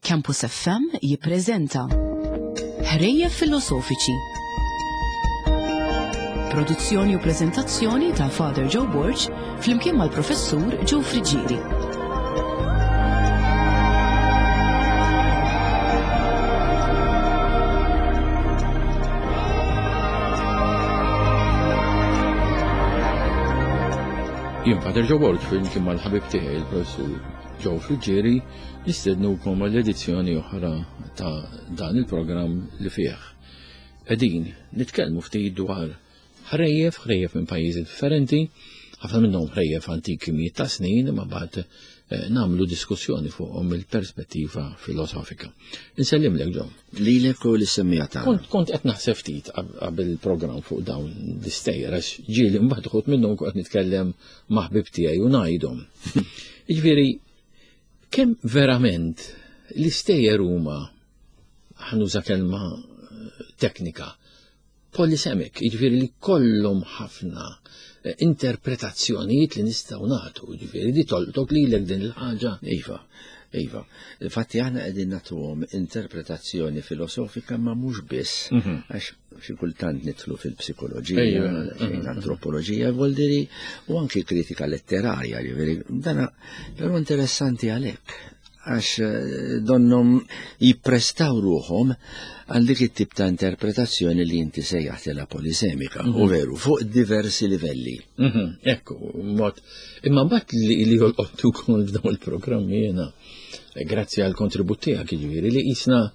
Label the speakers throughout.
Speaker 1: Campus FM jippreżenta Ħrejjef Filosofiċi. Produzzjoni u preżentazzjoni ta' Father Joe Borg flimkien mal-Professur Joe Friggieri.
Speaker 2: Jien Father Joe Borg flimkien mal-ħabib tiegħi il-Professur Joe Friggieri Nistednukom għal edizzjoni oħra ta' dan il-programm li fih qegħdin nitkellmu ftit dwar ħrejjef, ħrejjef minn pajjiżi differenti, ħafna minnhom ħrejjef antiki mijiet ta' snin, imma mbagħad eh, nagħmlu diskussjoni fuqhom mill-perspettiva filosofika. Insellimlek Ġo.
Speaker 3: Lilek u l-semmija
Speaker 2: tagħna. Kont kont qed naħseb ftit qabel il-programm fuq dawn l-istejjer għax ġieli mbagħad uħud minnhom kont nitkellem ma' ħbib tiegħi u ngħidhom. Jiġifieri Kemm verament l-istejjer huma ħanuża kelma eh, teknika polisemic, jiġifieri li kollhom ħafna eh, interpretazzjonijiet li nistgħu nagħtu, jiġifieri di tolqtok lilek din il-ħaġa.
Speaker 3: Iva, iva. Infatti aħna qegħdin nagħtuhom interpretazzjoni filosofika ma mhux biss, mhm. għax xi kultant nidħlu fil-psikoloġija, fejn mhm. antropoloġija, voldiri, u anki kritika letterarja, ġifieri, dana però interessanti għalhekk għax eh, donnom jipprestaw ruħom għal dik it-tip ta' interpretazzjoni li inti sejjaħtilha polisemika, u mhm. veru, fuq diversi livelli.
Speaker 2: Mhm, ekku, mod. Imma mbagħad li li jolqottu kol f'dawn il-programmi jiena, eh, grazzi għal kontribut tiegħek jiġifieri li jisna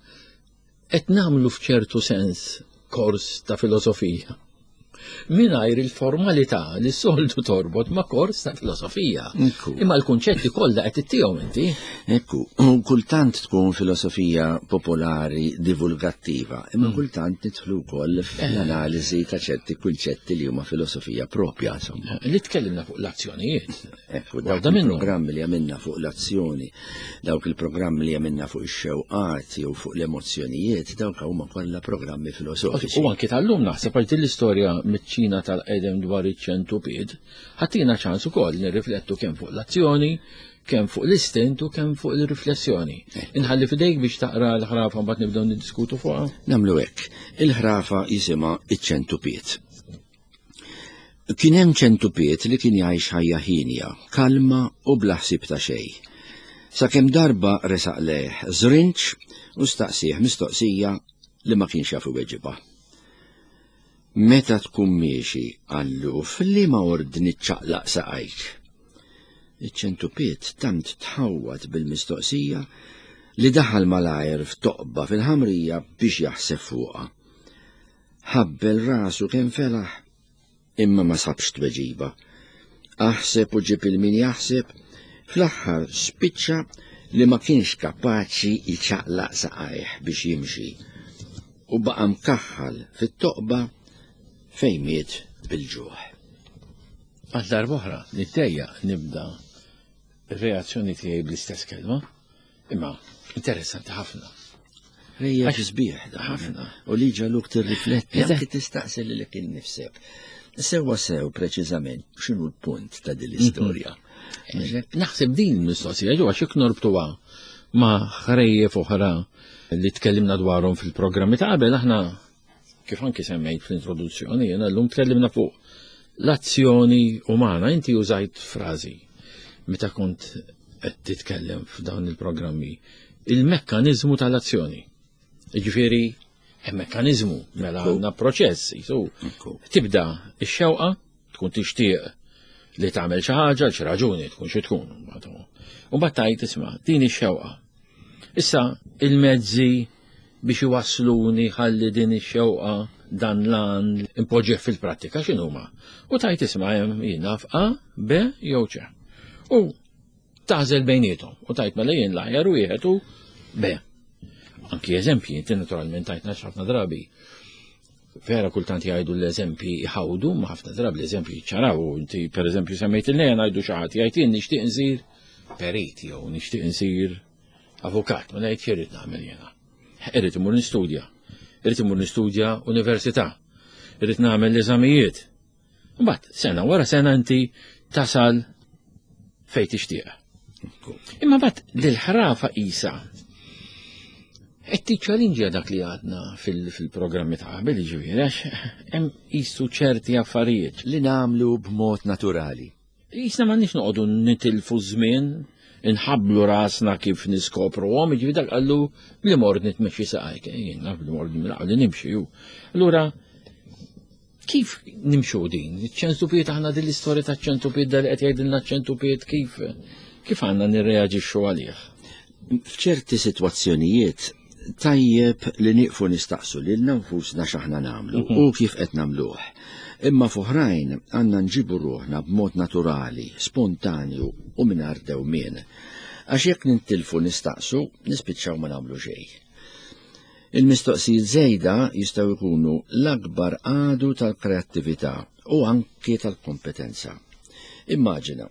Speaker 2: Qed nagħmlu f'ċertu sens kors ta' filosofija mingħajr il-formalità li soltu torbot ma' kors ta' filosofija. Imma l-kunċetti kollha qed ittihom inti.
Speaker 3: Ekku, kultant tkun filosofija popolari divulgattiva, imma mm. kultant nidħlu wkoll fl-analiżi ta' ċerti kunċetti li huma filosofija propja, insomma.
Speaker 2: Li tkellimna fuq l-azzjonijiet.
Speaker 3: Ekku, dawk il-programmi li għamilna fuq l-azzjoni, dawk il-programmi li għamilna fuq ix-xewqat jew fuq l-emozzjonijiet, dawk huma kollha programmi filosofiċi.
Speaker 2: U anki tal-lum naħseb għal din l-istorja miċ-Ċina tal-qedem dwar iċ-ċentupied, ħatina ċans ukoll nirriflettu kemm fuq l-azzjoni, kemm fuq l-istint u kemm fuq il-riflessjoni. Inħalli fidejk biex taqra l-ħrafa mbagħad nibdew niddiskutu fuqha.
Speaker 3: Nagħmlu hekk. Il-ħrafa jisimha iċ-ċentupied. Kien hemm ċentupiet li kien jgħix ħajja hienja, kalma u bla ħsieb ta' xejn. Sakemm darba resaq lejh żrinġ u staqsieh mistoqsija li ma kienx jaf iweġibha. Meta tkun miexi, qallu, f'liema ordni ċċaqlaq saqajk? Iċ-ċentupiet tant tħawwad bil-mistoqsija li daħal malajr f'toqba fil-ħamrija biex jaħseb fuqha. Ħabbel rasu kemm felaħ, imma ma sabx tweġiba. Aħseb u ġib il-min jaħseb, fl-aħħar spiċċa li ma kienx kapaċi jċaqlaq saqajh biex jimxi u baqa' mkaħħal fit-toqba fejn miet bil-ġuħ.
Speaker 2: Għal darb'oħra nittejjaq nibda r-reazzjoni tiegħi bl-istess kelma, imma interessanti ħafna.
Speaker 3: Rejja sbieħ ħafna. U li ġaluk tirrifletti, anke tistaqsi lilek innifsek. Sewwa sew preċiżament x'inhu l-punt ta' din l-istorja.
Speaker 2: Mhm. Naħseb din mistoqsija ġo għax norbtuha ma' ħrejjef oħra li tkellimna dwarhom fil-programmi ta' qabel aħna Kif anki semmejt fl-introduzzjoni, jena l-lum tkellimna fuq l-azzjoni umana. Inti użajt frażi meta kont qed titkellem f'dawn il-programmi. Il-mekkanizmu tal-azzjoni. Jiġifieri hemm mekkaniżmu mela għandna proċess, jisu. Tibda ix-xewqa tkun tixtieq li tagħmel xi ħaġa għal xi raġuni tkun xi tkun. U mbagħad tgħid isma' din ix-xewqa. Issa il-mezzi biex iwassluni ħalli din ix-xewqa dan l-għan impoġġih fil-prattika x'inhuma. U tajt isma' hemm jien naf A, B jew C. U tażel bejniethom u tajt mela jien l-aħjar wieħed u B. Anki eżempji, inti naturalment tajtna ħafna drabi. Vera kultant jgħidu l-eżempji jħawdu, ma ħafna drabi l-eżempji ċaraw, inti per eżempju semmejt il-lejn għajdu xi ħadd jgħid jien nixtieq insir perit jew nixtieq insir avukat, ma ngħid x'irid nagħmel jiena. Irrid imur nistudja. Irrid imur nistudja università. Irrid nagħmel l-eżamijiet. Mbagħad sena wara sena inti tasal fejn tixtieq. Imma mbagħad dil-ħrafa qisha. Qed tiċċalinġja dak li għadna fil-programmi ta' qabel, jiġifieri għax hemm qisu ċerti affarijiet.
Speaker 3: Li nagħmlu b'mod naturali.
Speaker 2: Qisna m'għandniex noqogħdu nitilfu żmien, inħabblu rasna kif niskopruhom, jiġifieri dak qallu li mordni tmexxi saqajk, jien naf li mordni li nimxi ju. Allura kif nimxu din? Iċ-ċentupiet aħna din l-istorja ta' ċentupiet dal qed jgħidilna ċentupiet kif kif għandna nirreaġixxu għalih?
Speaker 3: F'ċerti sitwazzjonijiet tajjeb li nieqfu nistaqsu lilna nfusna x'aħna nagħmlu u kif qed nagħmluh. Imma f'oħrajn għandna nġibu ruħna b'mod naturali, spontanju u mingħajr dewmien. Għax jekk nintilfu nistaqsu, nispiċċaw ma nagħmlu xejn. Il-mistoqsijiet żejda jistgħu jkunu l-akbar għadu tal-kreattività u anki tal-kompetenza. Immaġina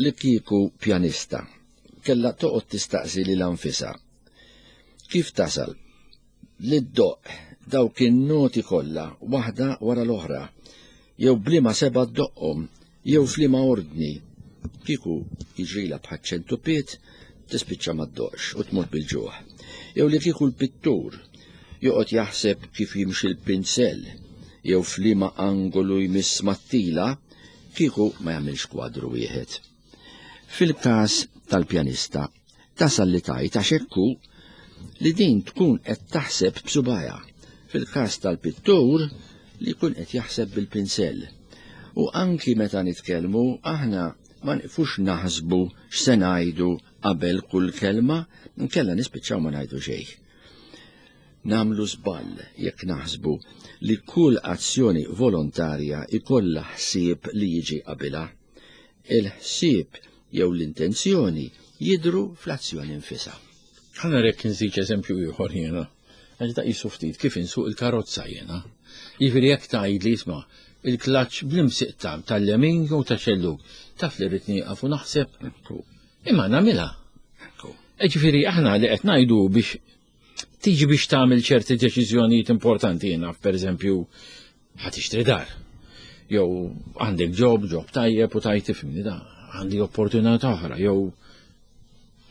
Speaker 3: li kieku pjanista kellha toqgħod tistaqsi lilha nfisha kif tasal li ddoqq dawk in-noti kollha waħda wara l-oħra, jew b'liema seba' ddoqqhom, jew f'liema ordni. Kieku jiġrilha bħaċ-ċentupiet, tispiċċa ma ddoqqx u tmut bil-ġuħ. Jew li kieku l-pittur joqgħod jaħseb kif jimxi l-pinsell, jew f'liema angolu jmiss mat-tila, kieku ma jagħmilx kwadru wieħed. Fil-każ tal-pjanista, tasal li tgħid għax hekk hu li din tkun qed taħseb b'subgħajha. Fil-każ tal-pittur li jkun qed jaħseb bil-pinsell. U anki meta nitkellmu aħna ma nieqfux naħsbu x'se ngħidu qabel kull kelma, inkella nispiċċaw ma ngħidu xejn. Nagħmlu żball jekk naħsbu li kull azzjoni volontarja jkollha ħsieb li jiġi qabilha. Il-ħsieb jew l-intenzjoni jidhru fl-azzjoni nfisha.
Speaker 2: Ħa narek nżid eżempju ieħor jiena. Għax da qisu ftit kif insuq il-karozza jiena. Jiġifieri jekk tgħidli isma' il-klaċċ bl-imsiq tal-lemin jew ta' xellug, taf li rrid nieqaf u naħseb. Imma nagħmilha. Ġifieri aħna li qed ngħidu biex tiġi biex tagħmel ċerti deċiżjonijiet importanti jiena pereżempju ħa tixtri dar. Jew għandek ġob, ġob tajjeb u tajt tifhimni da, għandi opportunità oħra, jew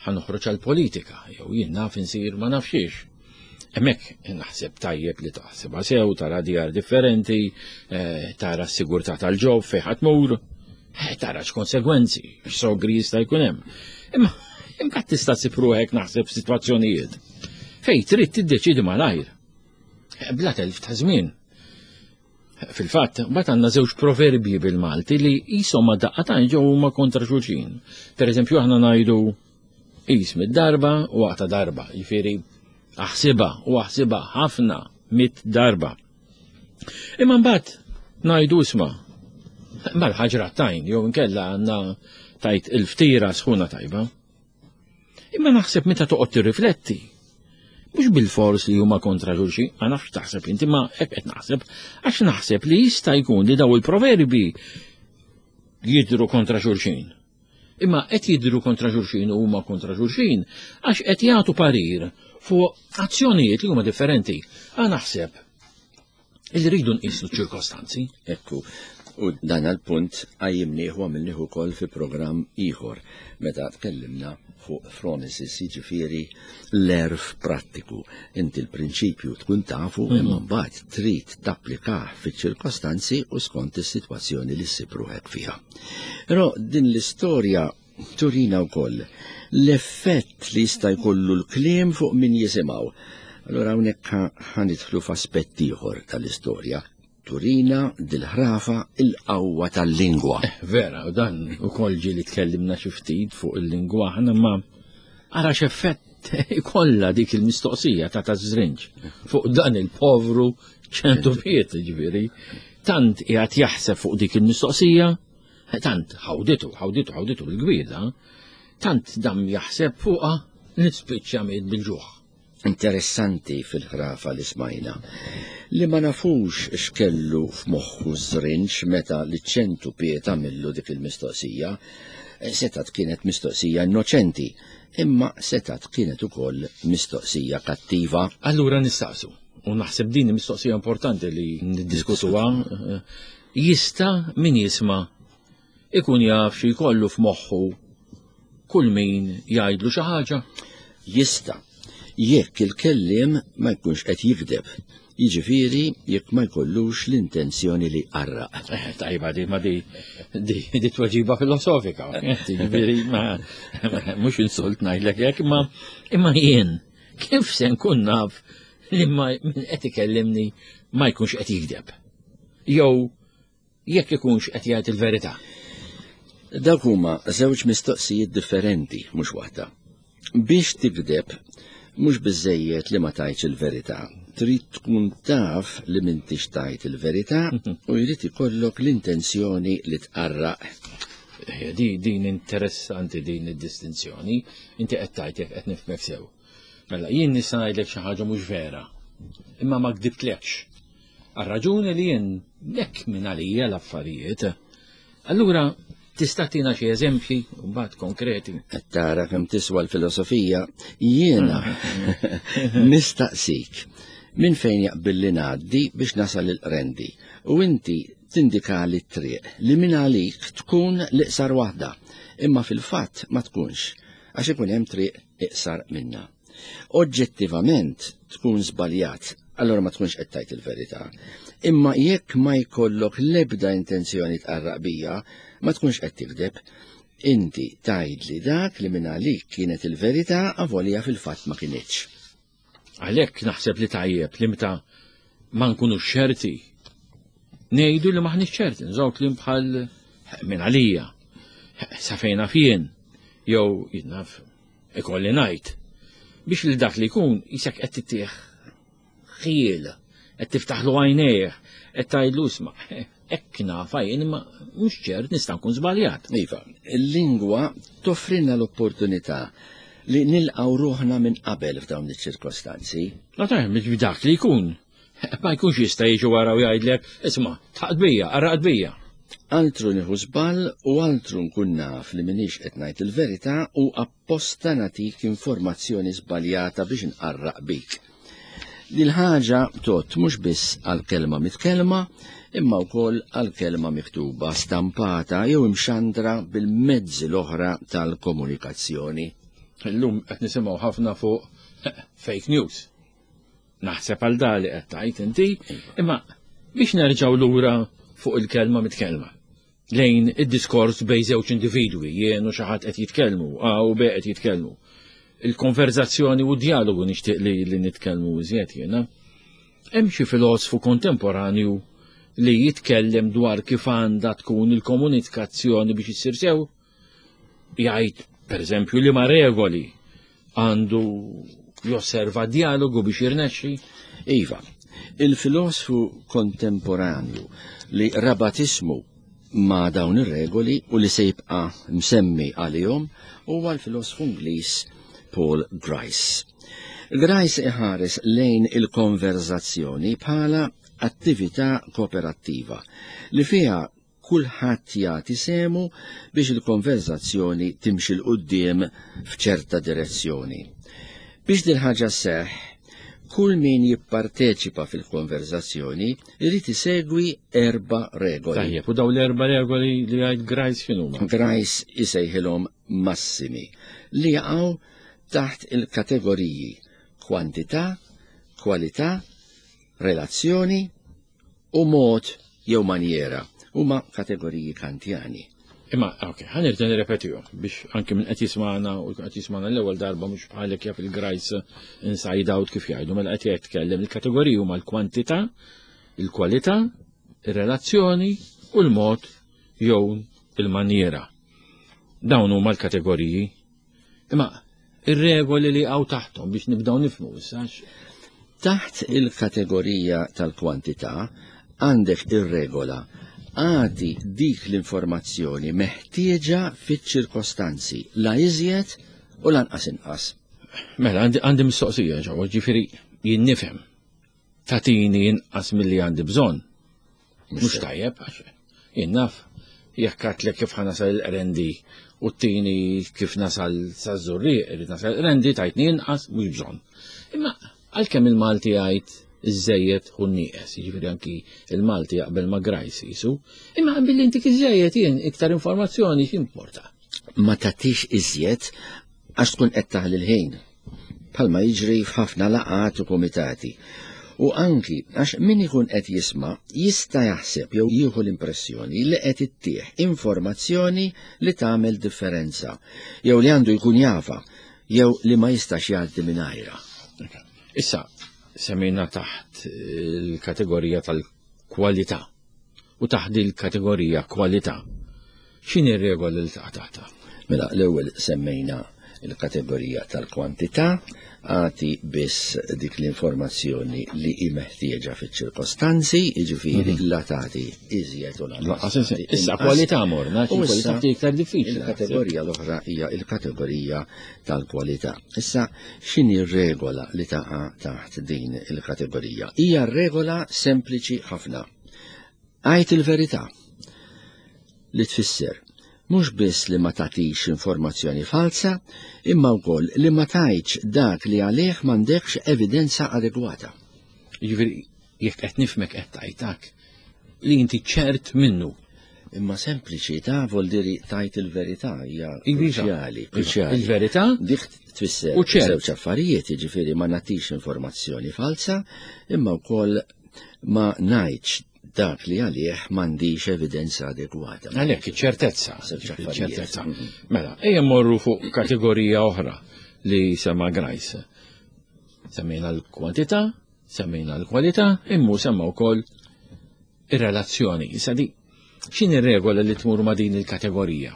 Speaker 2: ħa noħroġ għall-politika, jew jien naf insir ma nafxiex. Hemmhekk naħseb tajjeb li taħsebha sew, tara djar differenti, eh, tara s-sigurtà tal-ġob fejn ħadd tmur, eh, tara x'konsegwenzi, x'sogri jista' jkun hemm. Imma imbagħad tista' ssib ruħek naħseb f'sitwazzjonijiet fejn trid tiddeċiedi malajr. Eh, bla telf ta' żmien. Fil-fatt, mbagħad għandna żewġ proverbji bil-Malti li qishom ma daqqa ġew huma kontra xulxin. Per eżempju aħna ngħidu qis mid-darba u aqta' darba, jifieri aħsibha u aħsibha ħafna mit darba. Imma mbagħad ngħidu isma' mal-ħaġra tajn jew inkella għandna tajt il-ftira sħuna tajba. Imma naħseb meta toqgħod tirrifletti, mhux bil-fors li huma kontra xulxin, ma nafx taħseb inti ma hekk qed naħseb, għax naħseb li jista' jkun li daw il-proverbi jidru kontra xulxin. Imma qed jidru kontra xulxin u huma kontra xulxin għax qed jagħtu parir fuq azzjonijiet li huma differenti. Għa naħseb Illi rridu nqisu ċ-ċirkostanzi.
Speaker 3: Ekku, u dan għal-punt għajimnieh u għamilnieh ukoll fi programm ieħor meta tkellimna fuq phronesis, jiġifieri l-erf prattiku. Inti l-prinċipju tkun tafu mhm. imma mbagħad trid tapplikah fiċ-ċirkostanzi u skont is-sitwazzjoni li ssib ruħek fiha. Però din l-istorja Turina wkoll l-effett li jista' jkollu l-kliem fuq min jisimgħu. Allura hawnhekk ħanidħlu f'aspett ieħor tal-istorja. Turina dil-ħrafa il-qawwa tal-lingwa.
Speaker 2: Eh, vera, u dan ukoll ġieli tkellimna xi ftit fuq il-lingwa aħna ma ara x'effett ikollha dik il-mistoqsija ta' tażrinġ fuq dan il-povru ċentu piet ġifieri. Tant qiegħed jaħseb fuq dik il-mistoqsija Tant ħawditu, ħawditu, ħawditu bil-gwida, tant dam jaħseb fuqha li spiċċa miet bil-ġuħ.
Speaker 3: Interessanti fil-ħrafa li smajna li ma nafux x'kellu f'moħħu żrinġ meta li ċentu piet għamillu dik il-mistoqsija. Setat kienet mistoqsija innoċenti, imma setat kienet ukoll mistoqsija kattiva.
Speaker 2: Allura nistaqsu, u naħseb din mistoqsija importanti li niddiskutuha, Jista' min jisma' ikun jaf xi jkollu f'moħħu kull min jgħidlu xi ħaġa?
Speaker 3: Jista'. Jekk il-kelliem ma jkunx qed jigdeb, jiġifieri jekk ma jkollux l-intenzjoni li jqarraq.
Speaker 2: Eh, tajba di ma di di tweġiba filosofika. Jiġifieri ma mhux insult ngħidlek hekk, imma imma jien kif se nkun naf li ma min qed ikellimni ma jkunx qed jigdeb. Jew jekk ikunx qed jgħid il-verità.
Speaker 3: Dawk huma żewġ mistoqsijiet differenti, mhux waħda. Biex tigdeb, mhux biżejjed li ma tgħidx il-verità. Trid tkun taf li m'intix tgħid il-verità u jrid ikollok l-intenzjoni li tqarraq.
Speaker 2: Eh, di din interessanti din id-distinzjoni, inti qed tgħid jekk qed nifhmek sew. Mela jien nista' ngħidlek xi ħaġa mhux vera, imma ma kdibtlekx. Għar-raġuni li jien hekk minn għalija l-affarijiet. Allura tista' tina xi eżempji mbagħad konkreti.
Speaker 3: Qed tara kemm tiswa l-filosofija, jiena nistaqsik minn fejn jaqbilli ngħaddi biex nasal il-qrendi u inti tindikali t-triq li minn għalik tkun l-iqsar waħda, imma fil-fatt ma tkunx għax ikun hemm triq iqsar minnha. Oġġettivament tkun żbaljat, allora ma tkunx qed tgħid il-verità. Imma jekk ma jkollok l-ebda intenzjoni tqarraq bija, ma tkunx qed tikdeb. Inti tgħidli dak li minn għalik kienet il-verità avolja fil-fatt ma kinitx.
Speaker 2: Għalhekk naħseb li tajjeb li meta ma nkunux ċerti, ngħidu li maħniex ċerti, nżaw kliem bħal minn għalija, sa fejn naf jien, jew naf ikolli ngħid. Biex li dak li jkun jisek qed tittieħ ħiel, qed tiftaħlu għajnejh, qed tgħidlu isma' hekk nafa jien imma mhux ċert nista' nkun żbaljat.
Speaker 3: Iva, il-lingwa toffrilna l-opportunità li nilqgħu ruħna minn qabel f'dawn iċ-ċirkostanzi.
Speaker 2: Ma tajjeb, dak li jkun. Ma jkunx jista' jiġi wara u jgħidlek, isma' tħaqt bija, qarraqt bija.
Speaker 3: Altru nieħu żball u altru nkun naf li m'iniex qed ngħid il-verità u apposta nagħtik informazzjoni żbaljata biex nqarraq bik. Dil-ħaġa tgħodd mhux biss għall-kelma mitkellma, imma wkoll għall-kelma miktuba, stampata jew imxandra bil-mezzi l-oħra tal-komunikazzjoni.
Speaker 2: Illum qed nisimgħu ħafna fuq fake news. Naħseb għal dali qed tgħid inti, imma biex nerġgħu lura fuq il-kelma mitkellma. Lejn id-diskors bejn żewġ individwi, jien u xi ħadd qed jitkellmu, A u B qed jitkellmu. Il-konverzazzjoni u d-dialogu nixtieq li, li nitkellmu iżjed jiena. Hemm xi filosfu kontemporanju li jitkellem dwar kif għandha tkun il-komunikazzjoni biex issir sew? Jgħid, pereżempju, li ma regoli għandu josserva dialogu biex jirnexxi?
Speaker 3: Iva, il-filosfu kontemporanju li rabat ismu ma' dawn ir-regoli u li se jibqa' msemmi għalihom huwa l-filosfu Ingliż Paul Grice. Grice iħares lejn il-konverzazzjoni bħala attività kooperattiva li fiha kulħadd jagħti sehmu biex il-konverżazzjoni timxi 'l quddiem f'ċerta direzzjoni. Biex dil-ħaġa sseħħ, kull min jipparteċipa fil-konverżazzjoni jrid isegwi erba' regoli.
Speaker 2: Tajjeb, u dawn l-erba' regoli li jgħid Grice x'inhuma?
Speaker 3: Grice isejħilhom massimi li jaqgħu taħt il-kategoriji kwantità, kwalità, relazzjoni u mod jew manjera huma kategoriji Kantjani.
Speaker 2: Imma, ok, ħa nerġa' nirrepetihom biex anki minn qed jismagħna u qed jismagħna l-ewwel darba mhux bħalek jaf il-grajs inside out kif jgħidu, mela qed jitkellem il-kategoriji huma l-kwantità, il-kwalità, ir-relazzjoni u l-mod jew il-manjera. Dawn huma l-kategoriji. Imma ir-regoli li għaw taħtom biex nibdaw nifmu issa.
Speaker 3: Taħt il-kategorija tal-kwantità għandek ir-regola għati dik l-informazzjoni meħtieġa fiċ-ċirkostanzi la iżjed u lanqas inqas.
Speaker 2: Mela, għandi mistoqsija ġewwa, ġifieri jien nifhem tagħtini inqas milli għandi bżonn. Mhux tajjeb, għax jien naf jekk għatlek kif ħanasal il-qrendi u t-tini kif nasal sa' żurrieq, irrid nasal il-qrendi tajtni inqas mhux bżonn. Imma għalkemm il-Malti jgħid iż-żejjed hu nieqes, jiġifieri anki il-Malti jaqbel ma' Grice jisu, imma billi intik iż-żejjed jien iktar informazzjoni x'importa.
Speaker 3: Ma tagħtix iżjed għax tkun qed taħli l-ħin. bħalma jiġri f'ħafna laqgħat u kumitati. U anki għax min ikun qed jisma' jista' jaħseb jew jieħu l-impressjoni li qed ittih informazzjoni li tagħmel differenza, jew li għandu jkun jafha, jew li ma jistax jgħaddi mingħajrha.
Speaker 2: Issa, semmejna taħt il-kategorija tal-kwalità u taħt il-kategorija kwalità. X'inhi r-regola li taqa' taħtha?
Speaker 3: Mela, l-ewwel semmejna il-kategorija tal-kwantità, għati biss dik l-informazzjoni li hi meħtieġa fiċ-ċirkostanzi, jiġifieri la tagħti iżjed u
Speaker 2: lanqas. Issa kwalità morna,
Speaker 3: U
Speaker 2: kwalità
Speaker 3: issa
Speaker 2: iktar diffiċli.
Speaker 3: Il-kategorija l-oħra hija il-kategorija tal-kwalità. Issa x'inhi r-regola li taqa' taħt din il-kategorija? Hija regola sempliċi ħafna. Għid il-verità li tfisser mhux biss li ma tagħtix informazzjoni falsa, imma wkoll li ma tgħidx dak li għalih m'għandekx evidenza adegwata.
Speaker 2: Jiġifieri jekk qed nifhmek qed tgħidlek li inti ċert minnu.
Speaker 3: Imma sempliċi ta' vuol dire tgħid il-verità hija
Speaker 2: Iva.
Speaker 3: kruċjali, kruċjali.
Speaker 2: Il-verità
Speaker 3: Dik tfisser
Speaker 2: U ċert.
Speaker 3: żewġ affarijiet, jiġifieri ma nagħtix informazzjoni falsa, imma wkoll ma ngħidx dak li għalih m'għandix evidenza adegwata.
Speaker 2: Għalhekk iċ-ċertezza,
Speaker 3: Żewġ affarijiet.
Speaker 2: iċ-ċertezza. Mela, ejja mmorru fuq kategorija oħra li sema Grice. Semmejna l-kwantità, semmejna l-kwalità, immu semma wkoll ir-relazzjoni. Issa di, x'inhi r-regola li tmur ma' din il-kategorija?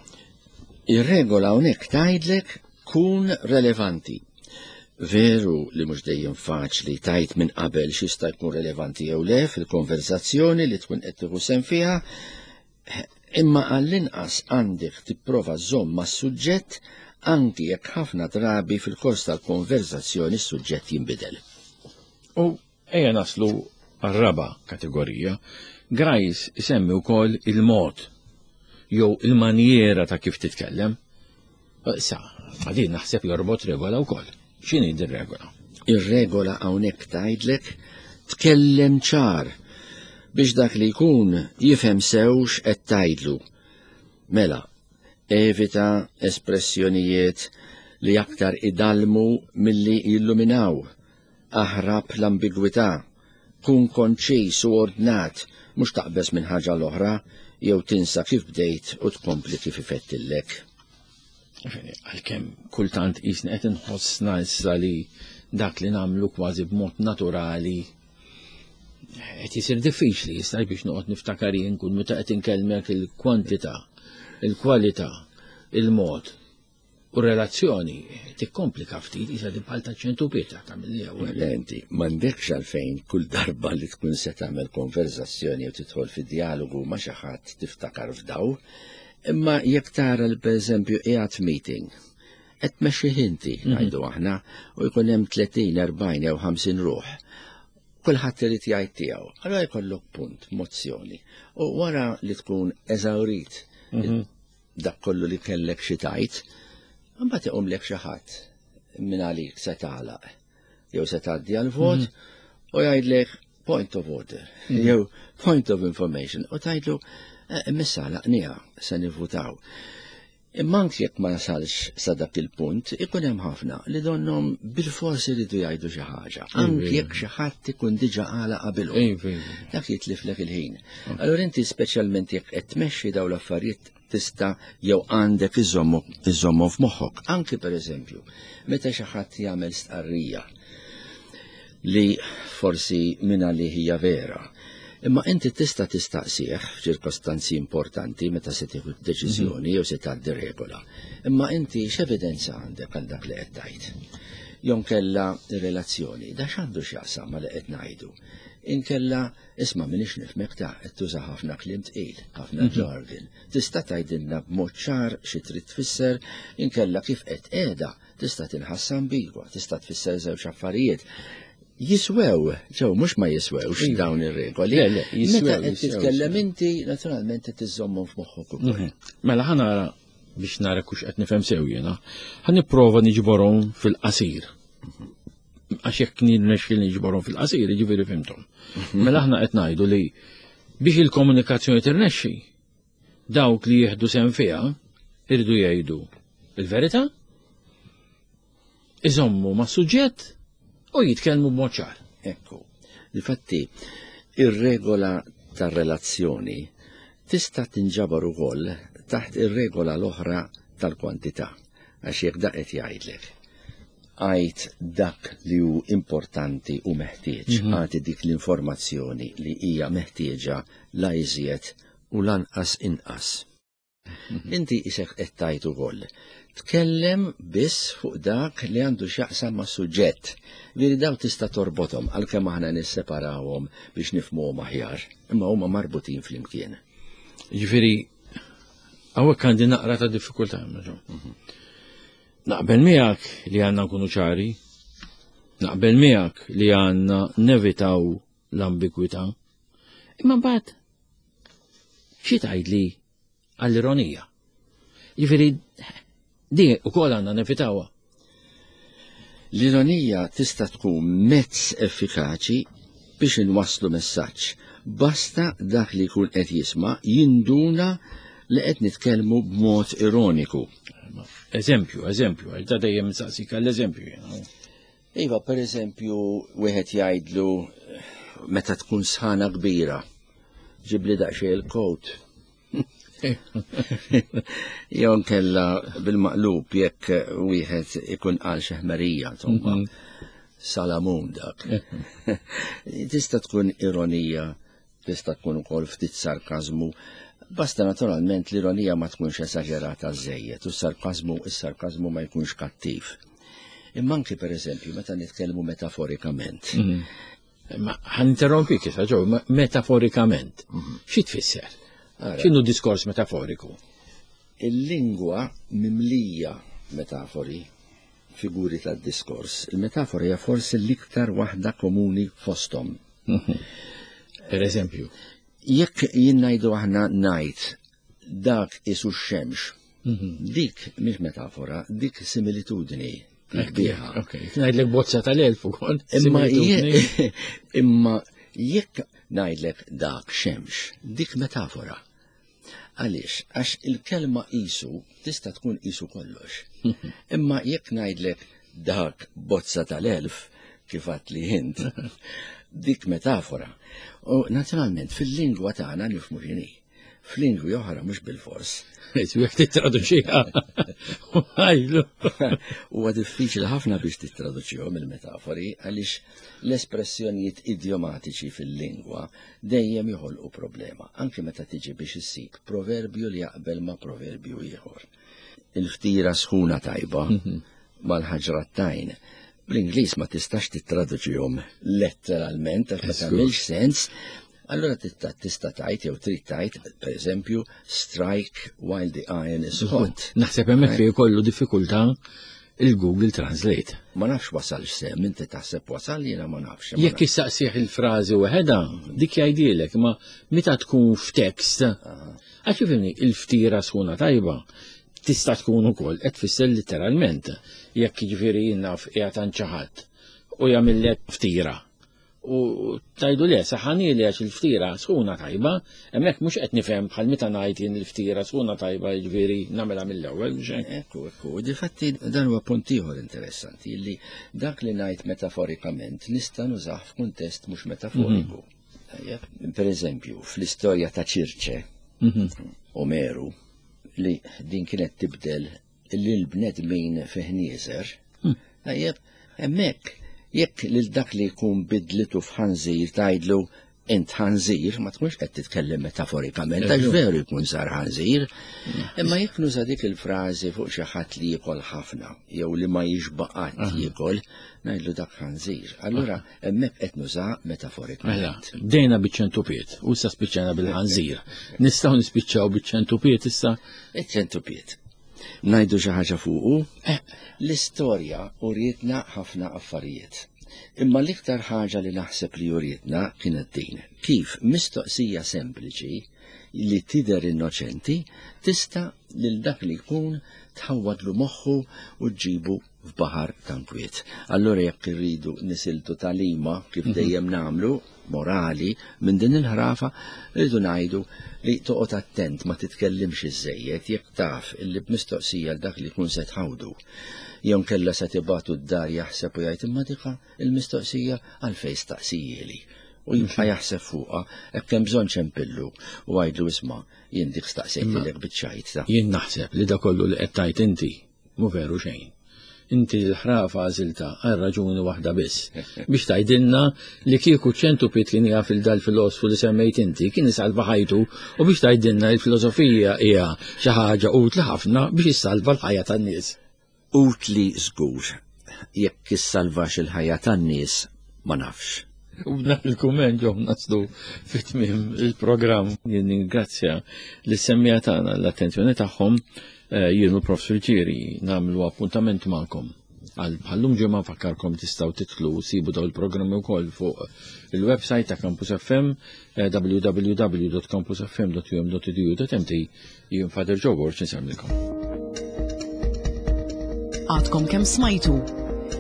Speaker 3: Ir-regola hawnhekk tgħidlek kun relevanti. Veru li mhux dejjem faċli tgħid minn qabel x'jista' jkun relevanti jew le fil-konversazzjoni li tkun qed tieħu sehem fiha, imma għall-inqas għandek tipprova żomm mas-suġġett anki jekk ħafna drabi fil-kors tal-konversazzjoni s-suġġett jinbidel.
Speaker 2: U ejja naslu għar-raba' kategorija. Grice isemmi wkoll il-mod jew il-manjera ta' kif titkellem. Issa, għadin naħseb jorbot regola wkoll. X'inhi din regola?
Speaker 3: Ir-regola hawnhekk tgħidlek tkellem ċar biex dak li jkun jifhem sew x'qed tgħidlu. Mela, evita espressjonijiet li aktar idalmu milli jilluminaw. Aħrab l-ambigwità, kun konċis u ordnat, mhux taqbeż minn ħaġa l-oħra jew tinsa kif bdejt u tkompli kif ifettillek.
Speaker 2: Għalkemm kultant qisna qed inħossna issa li dak li nagħmlu kważi b'mod naturali qed isir diffiċli jista' biex noqgħod niftakar jien kull meta qed inkellmek il-kwantità, il-kwalità, il-mod u relazzjoni tikkomplika ftit isa di bħal ta' ċentupieta tagħmel li ewwel.
Speaker 3: Le inti m'għandekx għalfejn kull darba li tkun se tagħmel konverzazzjoni u tidħol fi dialogu ma' xi ħadd tiftakar f'daw, imma jekk tara li pereżempju qiegħed meeting, qed tmexxih inti, ngħidu aħna, u jkun hemm 30, 40 jew 50 ruħ. Kulħadd irid jgħid tiegħu. Allura jkollok punt, mozzjoni. U wara li tkun eżawrit dak kollu li kellek xi tgħid, imbagħad iqumlek xi ħadd minn għalik se tagħlaq jew se tgħaddi għall-vot u jgħidlek point of order jew point of information u tgħidlu missa għalaqniha se nivvutaw. Imma anki jekk ma nasalx sa dak il-punt, ikun hemm ħafna li donnhom bil-fors iridu jgħidu xi ħaġa, anki jekk xi ħadd ikun diġà għala qabilhom. Dak jitliflek il-ħin. Allura inti speċjalment jekk qed tmexxi dawn l-affarijiet tista' jew għandek iżommu f'moħħok. Anki pereżempju, meta xi ħadd jagħmel stqarrija li forsi minn għalih hija vera, imma inti tista' tistaqsih f'ċirkostanzi importanti meta se tieħu deċiżjoni jew se tgħaddi regola. Imma inti x'evidenza għandek għal dak li qed tgħid? Jew inkella relazzjoni, da x'għandu x'jaqsam ma li qed ngħidu? Inkella isma' m'iniex nifhmek ta' qed tuża ħafna kliem tqil, ħafna jargon. Tista' tgħidilna b'mod ċar xi trid tfisser, inkella kif qed qiegħda tista' tinħass ambigwa, tista' tfisser żewġ affarijiet. Jiswew, ġew mhux ma jiswewx dawn ir-regoli.
Speaker 2: Le, le, jiswew,
Speaker 3: Meta qed
Speaker 2: jiswew,
Speaker 3: titkellem
Speaker 2: jiswew.
Speaker 3: inti, naturalment qed iżżommhom f'moħħok ukoll.
Speaker 2: Mela ħa nara biex nara kux qed nifhem sew jiena, ħa nipprova niġborhom fil-qasir. Għax jekk nirnexxi niġborhom fil-qasir, jiġifieri fhimthom. Mela aħna qed ngħidu li biex il-komunikazzjoni tirnexxi, dawk li jieħdu sehem fiha iridu jgħidu il-verità. Iżommu ma' suġġett u jitkellmu b'mod ċar.
Speaker 3: Ekku. Difatti, ir-regola tar-relazzjoni tista' tinġabar ukoll taħt ir-regola l-oħra tal-kwantità, għax jekk dak qed jgħidlek għid dak li hu importanti u meħtieġ, agħti dik l-informazzjoni li hija meħtieġa la iżjed u lanqas inqas. Inti isek qed tgħid ukoll. Tkellem biss fuq dak li għandu x'jaqsam ma' suġġett. Veri daw tista' torbothom għalkemm aħna nisseparawhom biex nifhmuhom aħjar, imma huma marbutin flimkien.
Speaker 2: Ġifieri hawnhekk għandi naqra ta' diffikultà. Naqbel miegħek li għandna nkunu ċari, naqbel miegħek li għandna nevitaw l-ambigwità. Imma mbagħad xi tgħidli għall-ironija? Jiġifieri di wkoll għandna nevitawha.
Speaker 3: L-ironija tista' tkun mezz effikaċi biex inwasslu messaġġ. Basta dak li jkun qed jisma' jinduna li qed nitkellmu b'mod ironiku.
Speaker 2: Eżempju, eżempju, għax da dejjem nsaqsik għall-eżempju jiena.
Speaker 3: Iva, per eżempju, wieħed jgħidlu meta tkun sħana kbira, ġibli daqsxejn il-kowt. Jew kella bil-maqlub jekk wieħed ikun qal xi ħmerija, insomma. Salamun dak. Tista' tkun ironija, tista' tkun ukoll ftit sarkażmu. Basta naturalment l-ironija ma tkunx esaġerata żejjed u s-sarkażmu is-sarkażmu ma jkunx kattiv. Imma anki per eżempju meta nitkellmu metaforikament.
Speaker 2: Ma ħanterrompik issa ġew metaforikament. Xi tfisser? X'inhu diskors metaforiku?
Speaker 3: Il-lingwa mimlija metafori, figuri tad-diskors. Il-metafora hija forsi l-iktar waħda komuni fosthom.
Speaker 2: Per eżempju.
Speaker 3: Jekk jien ngħidu aħna ngħid dak isu x-xemx, dik mhix metafora, dik similitudni. Kbieħa.
Speaker 2: Ok, ngħidlek bozza tal-elf ukoll.
Speaker 3: Imma imma jekk ngħidlek dak xemx, dik metafora. Għaliex? Għax il-kelma qisu tista' tkun qisu kollox. Imma jekk ngħidlek dak bozza tal-elf, kif għadt li int, dik metafora. U naturalment fil-lingwa tagħna nifhmu x'inhi. F'lingwi oħra mhux bilfors.
Speaker 2: Jekk tittraduċiha. Għajlu.
Speaker 3: Huwa diffiċli ħafna biex tittraduċihom il-metafori għaliex l-espressjonijiet idjomatiċi fil-lingwa dejjem joħolqu problema, anki meta tiġi biex issib proverbju li jaqbel ma' proverbju ieħor. Il-ftira sħuna tajba mal-ħaġra tajn. Bl-Ingliż ma tistax tittraduċihom letteralment għax ma tagħmilx sens. Allura tista' tgħid jew trid tgħid, pereżempju, strike while the iron is hot.
Speaker 2: Naħseb hemmhekk fi jkollu diffikultà il-Google Translate.
Speaker 3: Ma nafx wasal x'sem, inti taħseb wasal jiena ma nafx.
Speaker 2: Jekk issaqsih il-frażi waħedha, dik jgħidilek, ma meta tkun f'tekst, għax ifhimni, il-ftira sħuna tajba tista' tkun ukoll qed tfisser letteralment jekk jiġifieri jien naf qiegħed għand xi ħadd u jagħmillek ftira. U tajdu le, saħani li għax il-ftira sħuna tajba, hemmhekk mhux qed nifhem bħal meta ngħid jien il-ftira sħuna tajba jiġifieri nagħmilha mill-ewwel, mhux hekk?
Speaker 3: Ekku, ekku. Difatti dan huwa punt ieħor interessanti li dak li ngħid metaforikament nista' nużah f'kuntest mhux metaforiku. Tajjeb? Per eżempju, fl-istorja ta' Ċirċe, Omeru, li din kienet tibdel lil bnedmin fi ħnieżer, tajjeb, hemmhekk jekk lil dak li jkun bidlitu f'ħanżir tgħidlu int ħanżir, ma tkunx qed titkellem metaforikament, għax veru jkun sar ħanżir. Imma jekk nuża dik il-frażi fuq xi ħadd li jiekol ħafna jew li ma jixba' qatt jiekol, ngħidlu dak ħanżir. Allura hemmhekk qed nuża metaforikament.
Speaker 2: Mela, bdejna biċ-ċentupiet u issa spiċċajna bil-ħanżir. Nistgħu nispiċċaw biċ-ċentupiet issa?
Speaker 3: Iċ-ċentupiet. Ngħidu xi ħaġa fuqu? L-istorja urietna ħafna affarijiet. Imma l-iktar ħaġa li naħseb li urietna kienet din, kif mistoqsija sempliċi li tidher innoċenti tista' lil dak li jkun tħawwadlu moħħu u ġġibu f'baħar ta' nkwiet. Allura jekk irridu nisiltu tagħlima kif mhm. dejjem nagħmlu morali minn din il-ħrafa, rridu ngħidu li toqgħod attent ma titkellimx iżejjed jekk taf illi b'mistoqsija l dak li jkun se tħawdu. Jew kella se tibatu d-dar jaħseb u jgħid imma dika il-mistoqsija għalfejn staqsijieli u jibqa' jaħseb fuqha hekk hemm bżonn ċempillu u għidlu isma' jien dik staqsejtilek biċ-ċajt.
Speaker 2: Jien naħseb li da kollu li qed tgħid inti Mhu veru xejn. Inti l-ħrafa għażiltha għal raġuni waħda biss. Biex tgħidilna li kieku ċentupit kien jaf il dal-filosfu li semmejt inti kien isalva ħajtu u biex tgħidilna li l-filosofija hija xi ħaġa utli ħafna biex issalva l-ħajja tan-nies.
Speaker 3: Utli żgur. Jekk issalvax il-ħajja tan-nies ma nafx.
Speaker 2: U b'dan il-kumment ġo naslu fit-tmiem il-programm. Jien ningrazzja lis-semmiegħa tagħna l-attenzjoni tagħhom. Eh, jien u Prof. Friggieri nagħmlu appuntament magħkom għal bħallum ġimgħa nfakkarkom tistgħu titlu sibu daw il-programmi wkoll fuq il-website ta' Campus FM eh, www.campusfm.um.edu.mt jien Father Joe Borg nsemmikom.
Speaker 1: Għadkom kemm smajtu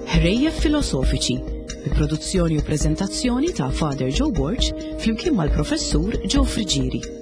Speaker 1: Ħrejjef Filosofiċi bi produzzjoni u preżentazzjoni ta' Father Joe Borg flimkien mal-Professur Joe Friggieri.